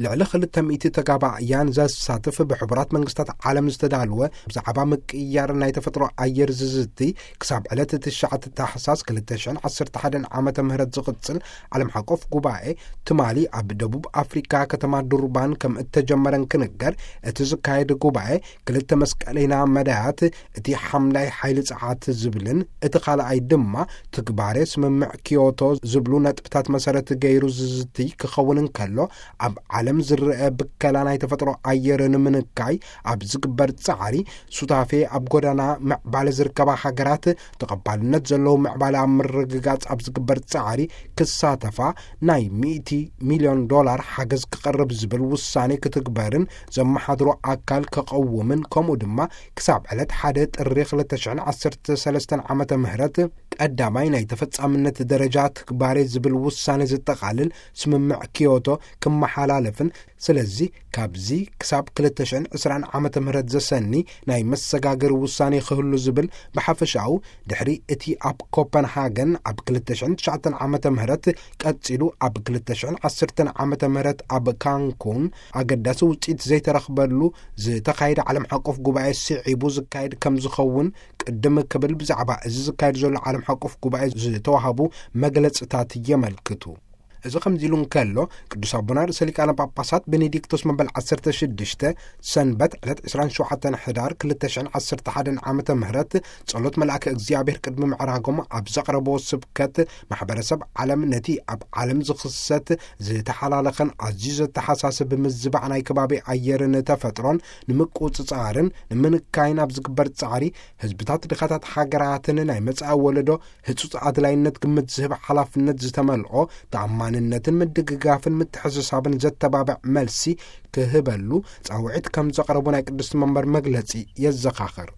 ልዕሊ ክልተ ሚእቲ ተጋባእያን ዘሳትፍ ብሕቡራት መንግስታት ዓለም ዝተዳለወ ብዛዕባ ምቅያር ናይ ተፈጥሮ ኣየር ዝዝቲ ክሳብ ዕለት ትሽዓተ ታሕሳስ ክልተ ሽሕን ዓሰርተ ሓደን ዓመተ ምህረት ዝቕጽል ዓለም ሓቆፍ ጉባኤ ትማሊ ኣብ ደቡብ ኣፍሪካ ከተማ ዱርባን ከም እተጀመረን ክንገር፣ እቲ ዝካየድ ጉባኤ ክልተ መስቀለይና መዳያት፣ እቲ ሓምላይ ሓይሊ ጸዓት ዝብልን እቲ ካልኣይ ድማ ትግባሬ ስምምዕ ኪዮቶ ዝብሉ ነጥብታት መሰረት ገይሩ ዝዝቲ ክኸውን እንከሎ፣ ኣብ ዓለም ዝረአ ብከላ ናይ ተፈጥሮ ኣየር ንምንካይ ኣብ ዝግበር ጻዕሪ ሱታፌ ኣብ ጎዳና ምዕባለ ዝርከባ ሃገራት ተቐባልነት ዘለዎ ምዕባለ ኣብ ምርግጋጽ ኣብ ዝግበር ጻዕሪ ክሳተፋ ናይ ሚእቲ ሚልዮን ዶላር ሓገዝ ክቐርብ ዝብል ውሳኔ ክትግበርን ዘመሓድሮ ኣካል ከቐውምን፣ ከምኡ ድማ ክሳብ ዕለት ሓደ ጥሪ ክልተ ሽሕን ዓሰርተ ሰለስተን ዓመተ ምህረት ቀዳማይ ናይ ተፈጻምነት ደረጃ ትግባሬ ዝብል ውሳኔ ዘጠቓልል ስምምዕ ኪዮቶ ክመሓላለፍን፣ ስለዚ ካብዚ ክሳብ ክልተ ሽሕን ዕስራን ዓመተ ምህረት ዘሰኒ ናይ መሰጋገሪ ውሳኔ ክህሉ ዝብል ብሓፈሻኡ ድሕሪ እቲ ኣብ ኮፐንሃገን ኣብ ክልተ ሽሕን ትሽዓተን ዓመተ ምህረት ቀጺሉ ኣብ ክልተ ሽሕን ዓሰርተን ዓመተ ምህረት ኣብ ካንኩን ኣገዳሲ ውጽኢት ዘይተረኽበሉ ዝተኻየደ ዓለም ሓቆፍ ጉባኤ ስዒቡ ዝካየድ ከም ዝኸውን ቅድም ክብል ብዛዕባ እዚ ዝካየድ ዘሎ ዓለም ሓቆፍ ጉባኤ ዝተዋህቡ መግለጽታት የመልክቱ። እዚ ከምዚ ኢሉ እንከሎ፣ ቅዱስ ኣቦና ርእሰ ሊቃነ ጳጳሳት ቤኔዲክቶስ መበል ዓሰርተ ሽዱሽተ ሰንበት ዕለት ዕስራን ሸውዓተን ሕዳር ክልተ ሽሕን ዓሰርተ ሓደን ዓመተ ምህረት ጸሎት መልኣከ እግዚኣብሔር ቅድሚ ምዕራጎም ኣብ ዘቕረቦ ስብከት፣ ማሕበረሰብ ዓለም ነቲ ኣብ ዓለም ዝኽሰት ዝተሓላለኸን ኣዝዩ ዘተሓሳስብ ምዝባዕ ናይ ከባቢ ኣየርን ተፈጥሮን ንምቁጽጻርን ንምንካይን ኣብ ዝግበር ጻዕሪ፣ ህዝብታት ድኻታት ሃገራትን ናይ መጻኢ ወለዶ ህጹጽ ኣድላይነት ግምት ዝህብ ሓላፍነት ዝተመልኦ ተኣማንነትን ምድግጋፍን ምትሕስሳብን ዘተባብዕ መልሲ ክህበሉ ጻውዒት ከም ዘቕረቡ ናይ ቅድስቲ መንበር መግለጺ የዘኻኽር።